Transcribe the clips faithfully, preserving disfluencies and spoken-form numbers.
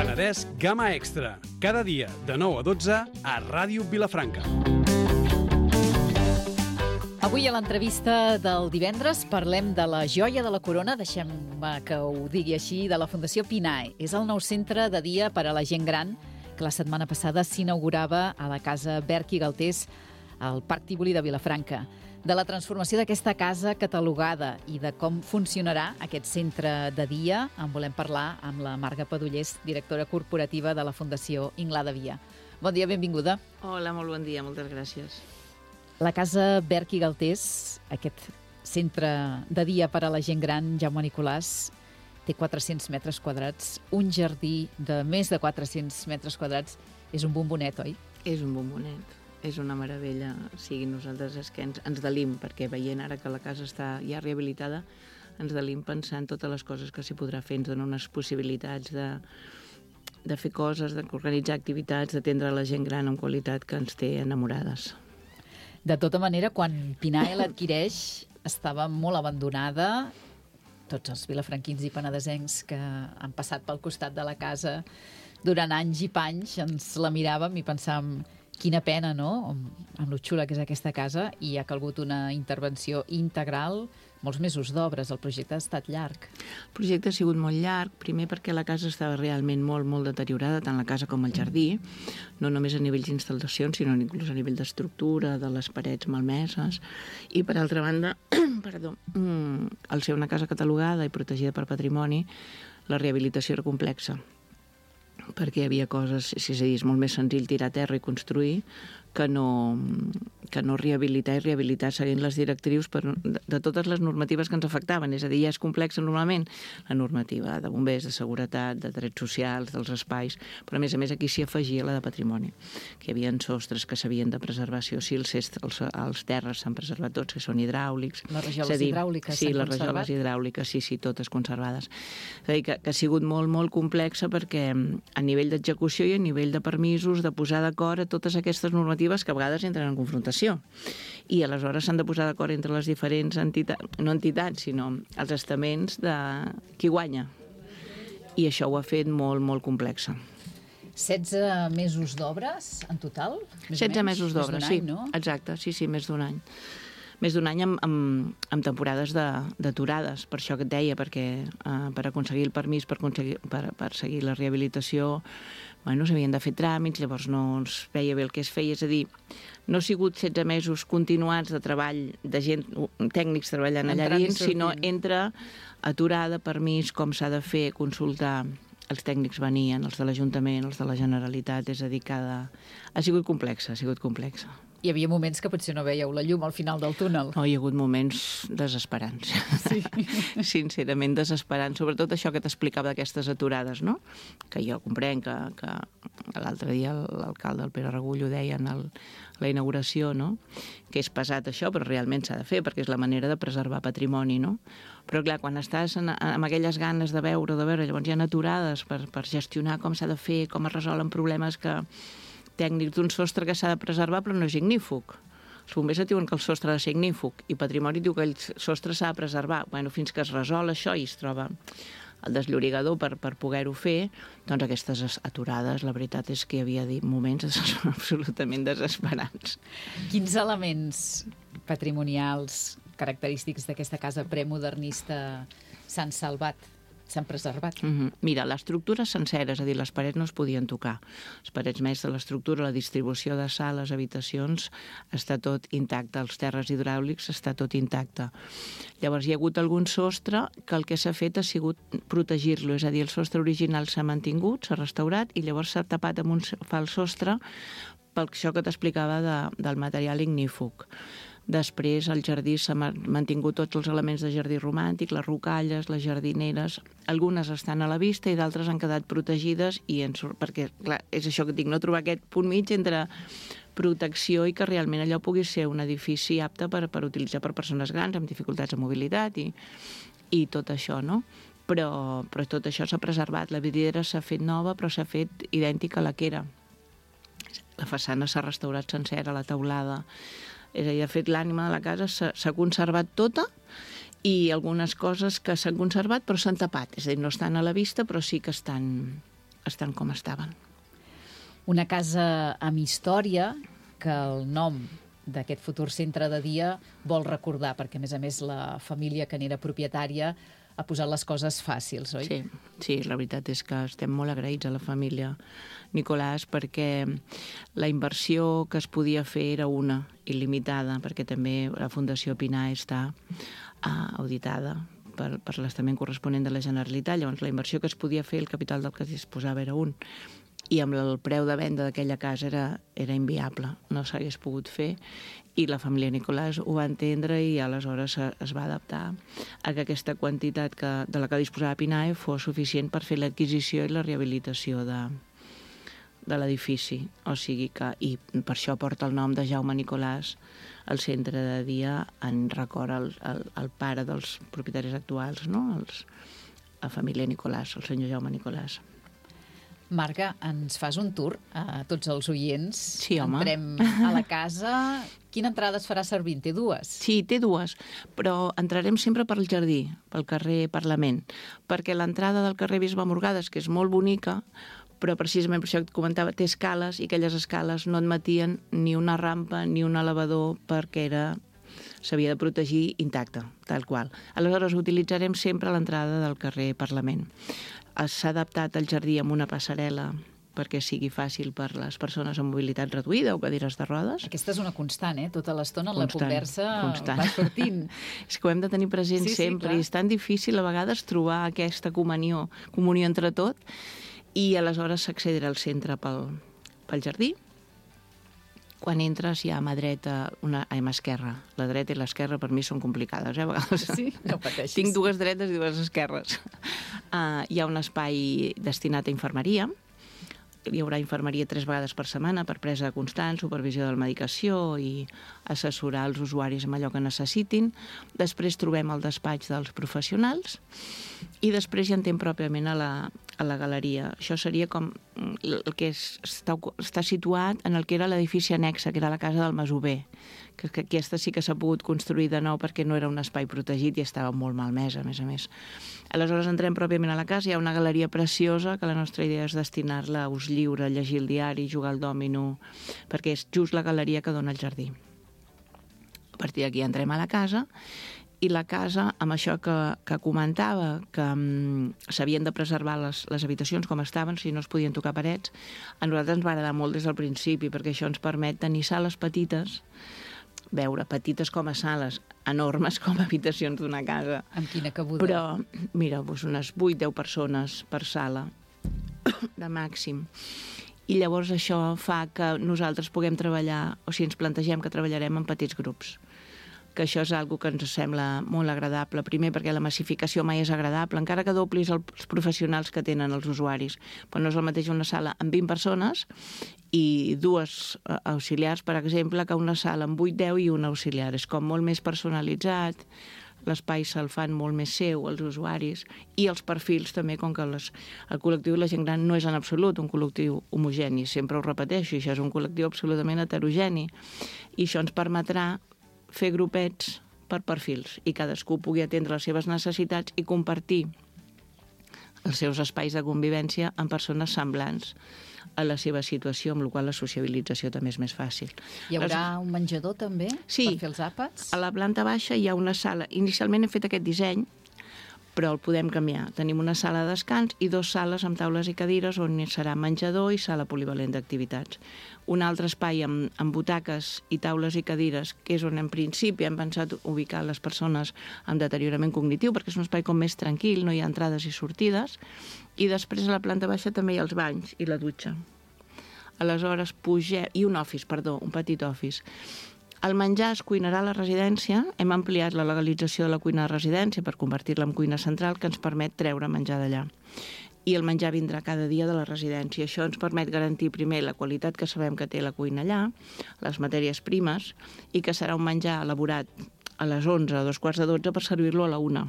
Penedès Gamma Extra. Cada dia de nou a dotze a Ràdio Vilafranca. Avui a l'entrevista del divendres parlem de la joia de la corona, deixem-me que ho digui així, de la Fundació Pinae. És el nou centre de dia per a la gent gran que la setmana passada s'inaugurava a la Casa Berch i Galtés al Parc Tívoli de Vilafranca. De la transformació d'aquesta casa catalogada i de com funcionarà aquest centre de dia en volem parlar amb la Marga Padullés, directora corporativa de la Fundació Inglada Via. Bon dia, benvinguda. Hola, molt bon dia, moltes gràcies. La Casa Berch i Galtés, aquest centre de dia per a la gent gran, Jaume Nicolàs, té quatre-cents metres quadrats, un jardí de més de quatre-cents metres quadrats. És un bombonet, oi? És un bombonet, és una meravella. O sigui, nosaltres és que ens, ens delim, perquè veient ara que la casa està ja rehabilitada, ens delim pensant totes les coses que s'hi podrà fer. Ens dona unes possibilitats de, de fer coses, d'organitzar activitats, d'atendre la gent gran amb qualitat que ens té enamorades. De tota manera, quan Pinae l'adquireix, estava molt abandonada. Tots els vilafranquins i penedesencs que han passat pel costat de la casa durant anys i panys ens la miràvem i pensàvem quina pena, no?, amb lo xula que és aquesta casa, i ha calgut una intervenció integral, molts mesos d'obres. El projecte ha estat llarg. El projecte ha sigut molt llarg, primer perquè la casa estava realment molt, molt deteriorada, tant la casa com el jardí, no només a nivell d'instal·lacions, sinó inclús a nivell d'estructura, de les parets malmeses, i per altra banda, perdó, al ser una casa catalogada i protegida per patrimoni, la rehabilitació era complexa, perquè hi havia coses, és a dir, és molt més senzill tirar a terra i construir que no, que no rehabilitar i rehabilitar seguint les directrius per, de, de totes les normatives que ens afectaven. És a dir, ja és complexa normalment la normativa de bombers, de seguretat, de drets socials, dels espais, però a més a més aquí s'hi afegia la de patrimoni, que hi havia sostres que s'havien de preservar, sí o sí, els, els, els terres s'han preservat tots, que són hidràulics. Les rajoles dir, hidràuliques sí, s'han les conservat? rajoles hidràuliques, sí, sí, totes conservades. És a dir, que, que ha sigut molt, molt complexa perquè a nivell d'execució i a nivell de permisos, de posar d'acord a totes aquestes normatives que a vegades entren en confrontació. I aleshores s'han de posar d'acord entre les diferents entitats, no entitats, sinó els estaments de qui guanya. I això ho ha fet molt, molt complexa. setze mesos d'obres en total? setze mesos d'obres, sí. No? Exacte, sí, sí, més d'un any. Més d'un any amb, amb, amb temporades d'aturades, per això que et deia, perquè eh, per aconseguir el permís, per, aconseguir, per, per seguir la rehabilitació, bueno, s'havien de fer tràmits, llavors no es veia bé el que es feia, és a dir, no ha sigut setze mesos continuats de treball de gent, tècnics treballant allà dins, sinó entre aturada, permís, com s'ha de fer, consultar. Els tècnics venien, els de l'Ajuntament, els de la Generalitat, és a dir, cada... ha sigut complexa, ha sigut complexa. Hi havia moments que potser no veieu la llum al final del túnel. No, hi ha hagut moments desesperants. Sí. Sincerament desesperants, sobretot això que t'explicava d'aquestes aturades, no? Que jo comprenc que, que l'altre dia l'alcalde, el Pere Regull, ho deia en el, la inauguració, no? Que és pesat això, però realment s'ha de fer, perquè és la manera de preservar patrimoni, no? Però clar, quan estàs en, amb aquelles ganes de veure, de veure, llavors hi ha aturades per, per gestionar com s'ha de fer, com es resolen problemes que tècnics d'un sostre que s'ha de preservar però no és ignífug. Els bombers et diuen que el sostre ha de ser ignífug i Patrimoni diu que el sostre s'ha de preservar. Bueno, fins que es resol això i es troba el desllorigador per, per poder-ho fer, doncs aquestes aturades, la veritat és que hi havia moments absolutament desesperants. Quins elements patrimonials característics d'aquesta casa premodernista s'han salvat? S'han preservat. Mm-hmm. Mira, l'estructura sencera, és a dir, les parets no es podien tocar. Les parets més de l'estructura, la distribució de sales, habitacions, està tot intacte. Els terres hidràulics està tot intacte. Llavors hi ha hagut algun sostre que el que s'ha fet ha sigut protegir-lo, és a dir, el sostre original s'ha mantingut, s'ha restaurat i llavors s'ha tapat amb un fals sostre per això que t'explicava de, del material ignífug. Després al jardí s'han mantingut tots els elements de jardí romàntic, les rocalles, les jardineres, algunes estan a la vista i d'altres han quedat protegides i en surt, perquè clar, és això que dic, no trobar aquest punt mig entre protecció i que realment allò pugui ser un edifici apte per, per utilitzar per persones grans amb dificultats de mobilitat i, i tot això, no? Però, però tot això s'ha preservat, la vidriera s'ha fet nova però s'ha fet idèntica a la que era. La façana s'ha restaurat sencera, la teulada. És a dir, de fet, l'ànima de la casa s'ha conservat tota i algunes coses que s'han conservat però s'han tapat. És a dir, no estan a la vista però sí que estan, estan com estaven. Una casa amb història que el nom d'aquest futur centre de dia vol recordar, perquè, a més a més, la família que n'era propietària ha posat les coses fàcils, oi? Sí, sí, la veritat és que estem molt agraïts a la família Nicolàs perquè la inversió que es podia fer era una, il·limitada, perquè també la Fundació Pinai està uh, auditada per, per l'estament corresponent de la Generalitat. Llavors, la inversió que es podia fer, el capital del que es disposava era un, i amb el preu de venda d'aquella casa era, era inviable, no s'hagués pogut fer, i la família Nicolàs ho va entendre i aleshores es va adaptar a que aquesta quantitat que, de la que disposava Pinai fos suficient per fer l'adquisició i la rehabilitació de, de l'edifici. O sigui que, i per això porta el nom de Jaume Nicolàs, el centre de dia en record al, al, al pare dels propietaris actuals, no? Els, la família Nicolàs, el senyor Jaume Nicolàs. Marga, ens fas un tour a tots els oients? Sí, home. Entrem a la casa. Quina entrada es farà servir? Té dues? Sí, té dues, però entrarem sempre pel jardí, pel carrer Parlament, perquè l'entrada del carrer Bisbe Morgades, que és molt bonica, però precisament per això que et comentava, té escales, i aquelles escales no admetien ni una rampa ni un elevador perquè era s'havia de protegir intacta, tal qual. Aleshores, utilitzarem sempre l'entrada del carrer Parlament. S'ha adaptat el jardí amb una passarel·la perquè sigui fàcil per les persones amb mobilitat reduïda o cadires de rodes. Aquesta és una constant, eh? Tota l'estona en la Constant, conversa constant. va sortint. És que ho hem de tenir present Sí, sí, sempre, clar. i és tan difícil a vegades trobar aquesta comunió, comunió entre tot, i aleshores s'accedirà al centre pel, pel jardí. Quan entres hi ha a mà dreta, una, a mà esquerra. La dreta i l'esquerra per mi són complicades, eh, a vegades. Sí, no pateixis. Tinc dues dretes i dues esquerres. Uh, hi ha un espai destinat a infermeria. Hi haurà infermeria tres vegades per setmana per presa de constant, supervisió de la medicació i assessorar els usuaris amb allò que necessitin. Després trobem el despatx dels professionals i després ja entrem pròpiament a la, a la galeria. Això seria com el que és, està, està situat en el que era l'edifici annexa, que era la casa del masover, que, que aquesta sí que s'ha pogut construir de nou perquè no era un espai protegit i estava molt malmesa, a més a més. Aleshores entrem pròpiament a la casa, hi ha una galeria preciosa que la nostra idea és destinar-la a ús lliure, llegir el diari, jugar al dòmino, perquè és just la galeria que dona al jardí. A partir d'aquí entrem a la casa, i la casa, amb això que, que comentava, que um, s'havien de preservar les, les habitacions com estaven, si no es podien tocar parets, a nosaltres ens va agradar molt des del principi, perquè això ens permet tenir sales petites, veure, petites com a sales, enormes com a habitacions d'una casa. Amb quina cabuda. Però, mira, doncs unes vuit deu persones per sala, de màxim. I llavors això fa que nosaltres puguem treballar, o si ens plantegem que treballarem en petits grups, que això és algo que ens sembla molt agradable. Primer, perquè la massificació mai és agradable, encara que doblis els professionals que tenen els usuaris. Però no és el mateix una sala amb vint persones i dues auxiliars, per exemple, que una sala amb vuit deu i un auxiliar. És com molt més personalitzat, l'espai se'l fan molt més seu, els usuaris, i els perfils també, com que les, el col·lectiu de la gent gran no és en absolut un col·lectiu homogeni, sempre ho repeteixo, això és un col·lectiu absolutament heterogeni, i això ens permetrà fer grupets per perfils i cadascú pugui atendre les seves necessitats i compartir els seus espais de convivència amb persones semblants a la seva situació, amb la qual la sociabilització també és més fàcil. Hi haurà un menjador també sí, per fer els àpats? A la planta baixa hi ha una sala. Inicialment hem fet aquest disseny, però el podem canviar. Tenim una sala de descans i dues sales amb taules i cadires on serà menjador i sala polivalent d'activitats. Un altre espai amb, amb butaques i taules i cadires, que és on en principi hem pensat ubicar les persones amb deteriorament cognitiu, perquè és un espai com més tranquil, no hi ha entrades i sortides, i després a la planta baixa també hi ha els banys i la dutxa. Aleshores pugem... i un office, perdó, un petit office. El menjar es cuinarà a la residència. Hem ampliat la legalització de la cuina de residència per convertir-la en cuina central, que ens permet treure menjar d'allà. I el menjar vindrà cada dia de la residència. Això ens permet garantir primer la qualitat que sabem que té la cuina allà, les matèries primes, i que serà un menjar elaborat a les onze o dos quarts de dotze per servir-lo a la una.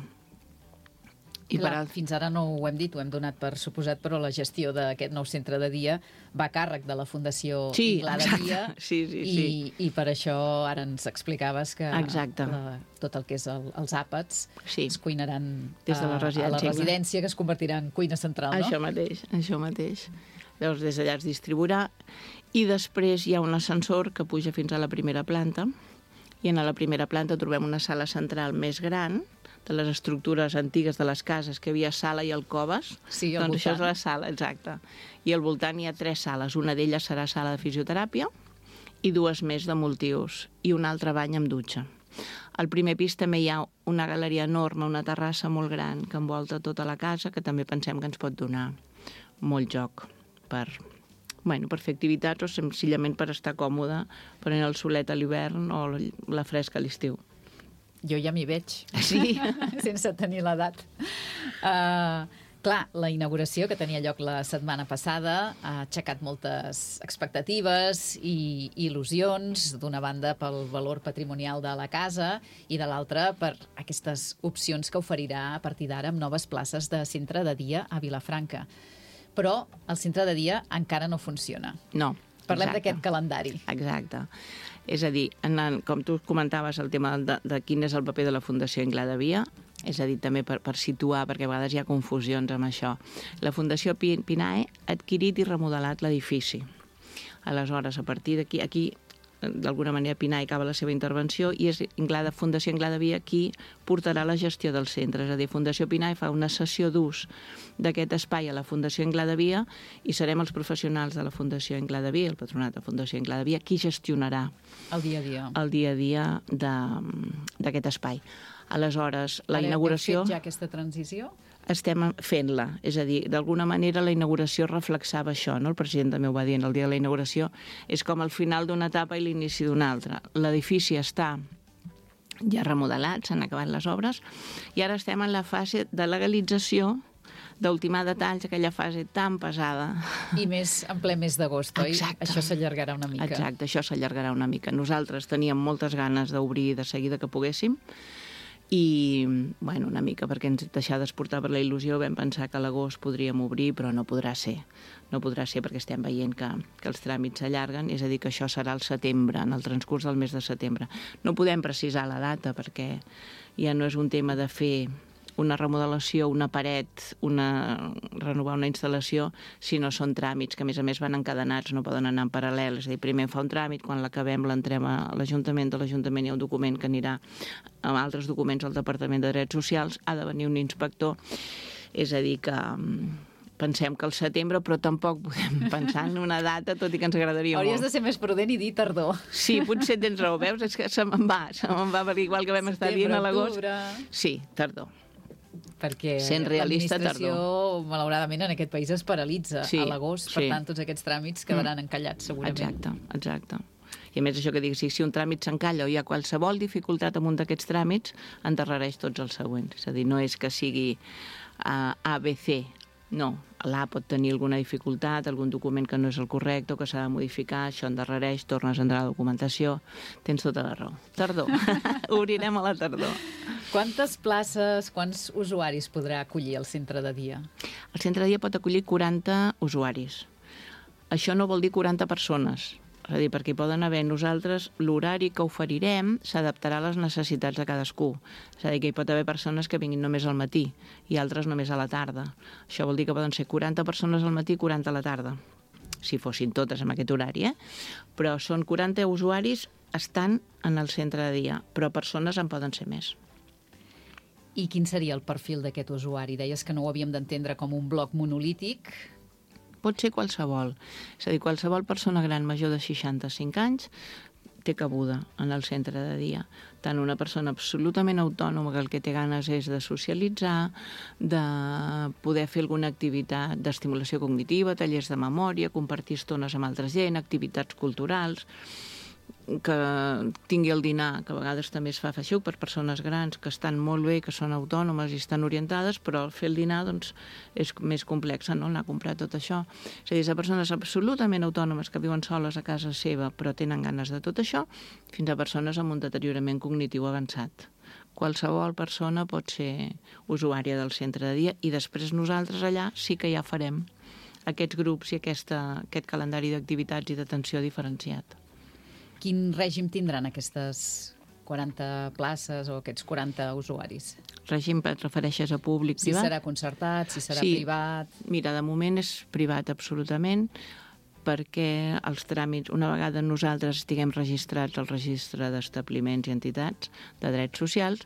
I Clar, per... fins ara no ho hem dit, ho hem donat per suposat, però la gestió d'aquest nou centre de dia va a càrrec de la Fundació sí, Inglà de Dia, sí, sí, i, sí. i per això ara ens explicaves que la, tot el que és el, els àpats sí. es cuinaran des de la residència, a la residència, que es convertirà en cuina central, no? Això mateix, això mateix. Llavors, des d'allà es distribuirà, i després hi ha un ascensor que puja fins a la primera planta, i en la primera planta trobem una sala central més gran, de les estructures antigues de les cases, que hi havia sala i alcoves. Sí, al doncs voltant. Això és la sala, exacte. I al voltant hi ha tres sales. Una d'elles serà sala de fisioteràpia i dues més de multiús, i un altre bany amb dutxa. Al primer pis també hi ha una galeria enorme, una terrassa molt gran que envolta tota la casa, que també pensem que ens pot donar molt joc per, bueno, per fer activitats o senzillament per estar còmode, prenent el solet a l'hivern o la fresca a l'estiu. Jo ja m'hi veig, sí. sense tenir l'edat. Uh, clar, la inauguració que tenia lloc la setmana passada ha aixecat moltes expectatives i il·lusions, d'una banda pel valor patrimonial de la casa i de l'altra per aquestes opcions que oferirà a partir d'ara amb noves places de centre de dia a Vilafranca. Però el centre de dia encara no funciona. No. Parlem d'aquest calendari. Exacte. És a dir, en, com tu comentaves el tema de, de quin és el paper de la Fundació Inglà de Dia, és a dir, també per, per situar, perquè a vegades hi ha confusions amb això. La Fundació Pinae ha adquirit i remodelat l'edifici. Aleshores, a partir d'aquí, aquí, d'alguna manera, Pinae acaba la seva intervenció i és Inglada, Fundació Inglà de Dia qui portarà la gestió del centre. És a dir, Fundació Pinae fa una sessió d'ús d'aquest espai a la Fundació Inglà de Dia i serem els professionals de la Fundació Inglà de Dia, el patronat de la Fundació Inglà de Dia, qui gestionarà el dia a dia, el dia, a dia d'aquest espai. Aleshores, la Ara inauguració... Heu fet ja aquesta transició? Estem fent-la, és a dir, d'alguna manera la inauguració reflexava això, no? El president també ho va dir el dia de la inauguració, és com el final d'una etapa i l'inici d'una altra. L'edifici està ja remodelat, s'han acabat les obres, i ara estem en la fase de legalització, d'ultimar detalls, aquella fase tan pesada. I més en ple mes d'agost, oi? Exacte. Això s'allargarà una mica. Exacte, això s'allargarà una mica. Nosaltres teníem moltes ganes d'obrir de seguida que poguéssim, i, bueno, una mica perquè ens deixades portar per la il·lusió, vam pensar que a l'agost podríem obrir, però no podrà ser. No podrà ser perquè estem veient que, que els tràmits s'allarguen, és a dir, que això serà al setembre, en el transcurs del mes de setembre. No podem precisar la data perquè ja no és un tema de fer una remodelació, una paret, una, renovar una instal·lació, si no són tràmits que a més a més van encadenats, no poden anar en paral·lel. És a dir, primer fa un tràmit, quan l'acabem l'entrem a l'Ajuntament, de l'Ajuntament hi ha un document que anirà amb altres documents al Departament de Drets Socials, ha de venir un inspector, és a dir que pensem que al setembre, però tampoc podem pensar en una data, tot i que ens agradaria Hauries molt. de ser més prudent i dir tardor. Sí, potser tens raó, veus? És que se me'n va, se me'n va, perquè igual que vam estar dient a l'agost... Sí, tardor. Perquè realista, l'administració, malauradament, en aquest país es paralitza sí, a l'agost, per sí. tant, tots aquests tràmits quedaran mm. encallats, segurament. Exacte, exacte. I a més, això que dic, si, si un tràmit s'encalla o hi ha qualsevol dificultat amb un d'aquests tràmits, endarrereix tots els següents. És a dir, no és que sigui uh, A, B, C, no. L'A pot tenir alguna dificultat, algun document que no és el correcte o que s'ha de modificar, això endarrereix, tornes a entrar a la documentació, tens tota la raó. Tardor, obrirem a la tardor. Quantes places, quants usuaris podrà acollir el centre de dia? El centre de dia pot acollir quaranta usuaris. Això no vol dir quaranta persones, és a dir, perquè hi poden haver nosaltres, l'horari que oferirem s'adaptarà a les necessitats de cadascú. És a dir, que hi pot haver persones que vinguin només al matí i altres només a la tarda. Això vol dir que poden ser quaranta persones al matí i quaranta a la tarda, si fossin totes amb aquest horari, eh? Però són quaranta usuaris estan en el centre de dia, però persones en poden ser més. I quin seria el perfil d'aquest usuari? Deies que no ho havíem d'entendre com un bloc monolític. Pot ser qualsevol. És a dir, qualsevol persona gran major de seixanta-cinc anys té cabuda en el centre de dia. Tant una persona absolutament autònoma que el que té ganes és de socialitzar, de poder fer alguna activitat d'estimulació cognitiva, tallers de memòria, compartir estones amb altra gent, activitats culturals, que tingui el dinar, que a vegades també es fa feixuc per persones grans que estan molt bé, que són autònomes i estan orientades, però fer el dinar doncs, és més complex, no? Anar a comprar tot això. És a dir, de persones absolutament autònomes que viuen soles a casa seva però tenen ganes de tot això, fins a persones amb un deteriorament cognitiu avançat, qualsevol persona pot ser usuària del centre de dia i després nosaltres allà sí que ja farem aquests grups i aquesta, aquest calendari d'activitats i d'atenció diferenciat. Quin règim tindran aquestes quaranta places o aquests quaranta usuaris? Règim et refereixes a públic, si privat? Si serà concertat, si serà sí. privat... Mira, de moment és privat absolutament, perquè els tràmits, una vegada nosaltres estiguem registrats al registre d'establiments i entitats de drets socials,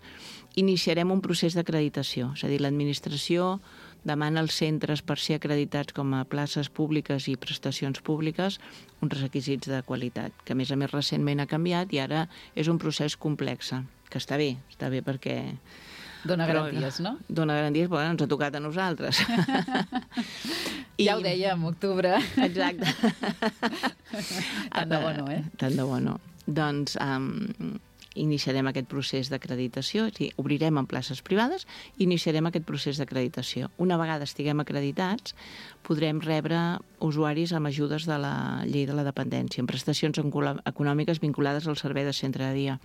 iniciarem un procés d'acreditació. És a dir, l'administració demana als centres per ser acreditats com a places públiques i prestacions públiques uns requisits de qualitat, que a més a més recentment ha canviat i ara és un procés complex, que està bé, està bé perquè... Dóna garanties, no? Dóna garanties, però ens ha tocat a nosaltres. I... Ja ho dèiem, octubre. Exacte. Tant de bo no, eh? Tant de bo no. Doncs um, iniciarem aquest procés d'acreditació, és a dir, obrirem en places privades i iniciarem aquest procés d'acreditació. Una vegada estiguem acreditats, podrem rebre usuaris amb ajudes de la llei de la dependència, amb prestacions econòmiques vinculades al servei de centre de dia.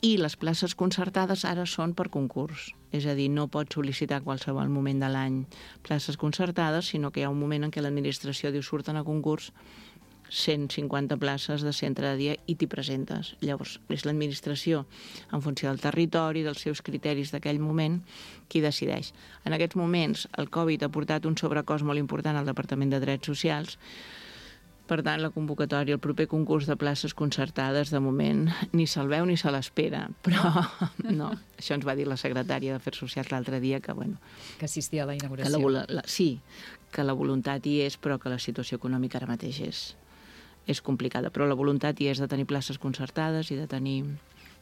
I les places concertades ara són per concurs, és a dir, no pots sol·licitar a qualsevol moment de l'any places concertades, sinó que hi ha un moment en què l'administració diu surten a concurs cent cinquanta places de centre de dia i t'hi presentes. Llavors, és l'administració, en funció del territori, dels seus criteris d'aquell moment, qui decideix. En aquests moments, el Covid ha portat un sobrecost molt important al Departament de Drets Socials. Per tant, la convocatòria, el proper concurs de places concertades, de moment, ni se'l veu ni se l'espera. Però no, això ens va dir la secretària d'Afers Socials l'altre dia, que, bueno... Que assistia a la inauguració. Que la, la, sí, que la voluntat hi és, però que la situació econòmica ara mateix és... és complicada, però la voluntat hi és de tenir places concertades i de tenir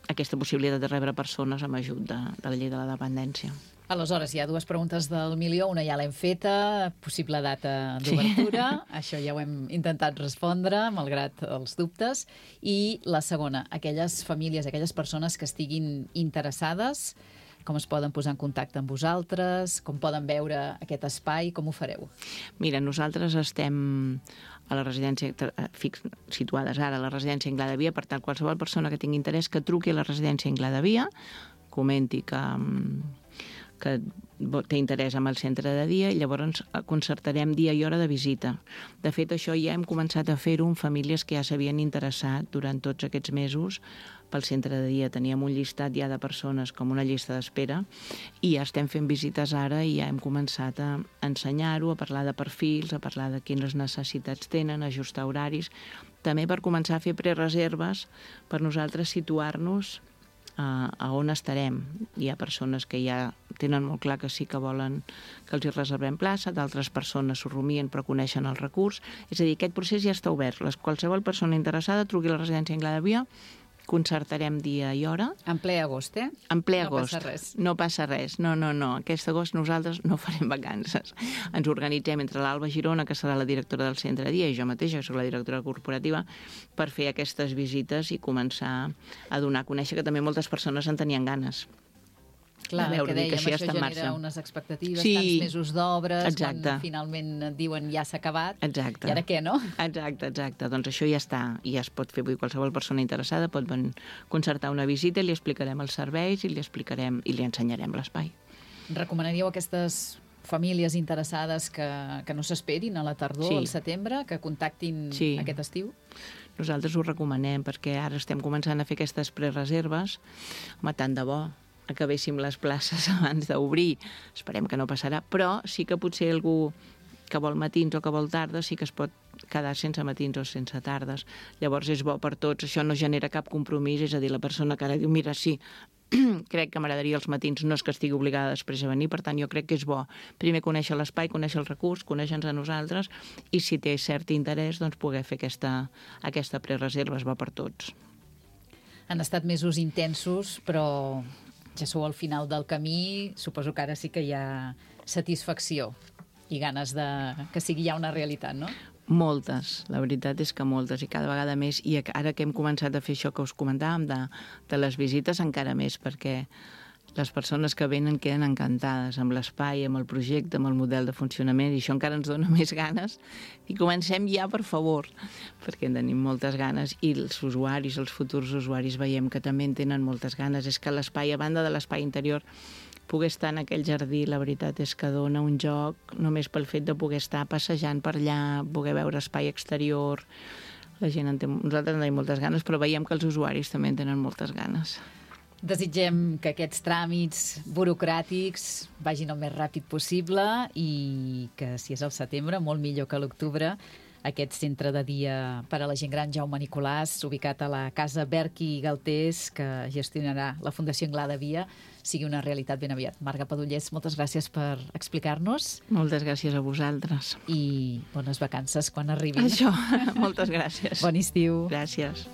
aquesta possibilitat de rebre persones amb ajut de, de la llei de la dependència. Aleshores, hi ha dues preguntes del milió, una ja l'hem feta, possible data d'obertura, sí. Això ja ho hem intentat respondre, malgrat els dubtes, i la segona, aquelles famílies, aquelles persones que estiguin interessades, com es poden posar en contacte amb vosaltres, com poden veure aquest espai, com ho fareu? Mira, nosaltres estem a la residència, fix, situades ara a la residència Inglà de Via, per tant, qualsevol persona que tingui interès que truqui a la residència Inglà de Via, comenti que, que té interès en el centre de dia i llavors concertarem dia i hora de visita. De fet, això ja hem començat a fer-ho amb famílies que ja s'havien interessat durant tots aquests mesos pel centre de dia. Teníem un llistat ja de persones com una llista d'espera i ja estem fent visites ara i ja hem començat a ensenyar-ho, a parlar de perfils, a parlar de quines necessitats tenen, ajustar horaris, també per començar a fer prereserves per nosaltres situar-nos a, a on estarem. Hi ha persones que ja tenen molt clar que sí que volen que els hi reservem plaça, d'altres persones s'ho rumien però coneixen el recurs. És a dir, aquest procés ja està obert. Les, qualsevol persona interessada truqui a la residència Inglà de Via, concertarem dia i hora. En ple agost, eh? En ple no agost. No passa res. No passa res. No, no, no. Aquest agost nosaltres no farem vacances. Ens organitzem entre l'Alba Girona, que serà la directora del centre de dia, i jo mateixa, que soc la directora corporativa, per fer aquestes visites i començar a donar a conèixer que també moltes persones en tenien ganes. Clar, el que dèiem, que això, això genera unes expectatives, sí, tants mesos d'obres, quan finalment et diuen ja s'ha acabat, exacte. I ara què, no? Exacte, exacte. Doncs això ja està, i ja es pot fer. Vull dir, qualsevol persona interessada pot concertar una visita i li explicarem els serveis i li explicarem i li ensenyarem l'espai. Recomanaríeu a aquestes famílies interessades que, que no s'esperin a la tardor, sí. Al setembre, que contactin sí. Aquest estiu? Nosaltres ho recomanem, perquè ara estem començant a fer aquestes prereserves. Home, tant de bo acabéssim les places abans d'obrir. Esperem que no passarà, però sí que potser algú que vol matins o que vol tardes sí que es pot quedar sense matins o sense tardes. Llavors és bo per tots, això no genera cap compromís, és a dir, la persona que ara diu, mira, sí, crec que m'agradaria els matins, no és que estigui obligada després a venir, per tant jo crec que és bo primer conèixer l'espai, conèixer el recurs, conèixer-nos a nosaltres i si té cert interès doncs poder fer aquesta, aquesta prereserva, és bo per tots. Han estat mesos intensos, però ja sou al final del camí, suposo que ara sí que hi ha satisfacció i ganes de que sigui ja una realitat, no? Moltes, la veritat és que moltes, i cada vegada més, i ara que hem començat a fer això que us comentàvem de, de les visites encara més, perquè les persones que venen queden encantades amb l'espai, amb el projecte, amb el model de funcionament, i això encara ens dona més ganes. I comencem ja, per favor, perquè en tenim moltes ganes, i els usuaris, els futurs usuaris, veiem que també en tenen moltes ganes. És que l'espai, a banda de l'espai interior, poder estar en aquell jardí, la veritat és que dona un joc només pel fet de poder estar passejant per allà, poder veure espai exterior. La gent en té, nosaltres en tenim moltes ganes, però veiem que els usuaris també en tenen moltes ganes. Desitgem que aquests tràmits burocràtics vagin el més ràpid possible i que, si és al setembre, molt millor que a l'octubre, aquest centre de dia per a la gent gran Jaume Nicolàs, ubicat a la Casa Berqui i Galtés, que gestionarà la Fundació Anglada Via, sigui una realitat ben aviat. Marga Padullés, moltes gràcies per explicar-nos. Moltes gràcies a vosaltres. I bones vacances quan arribin. Això, moltes gràcies. Bon estiu. Gràcies.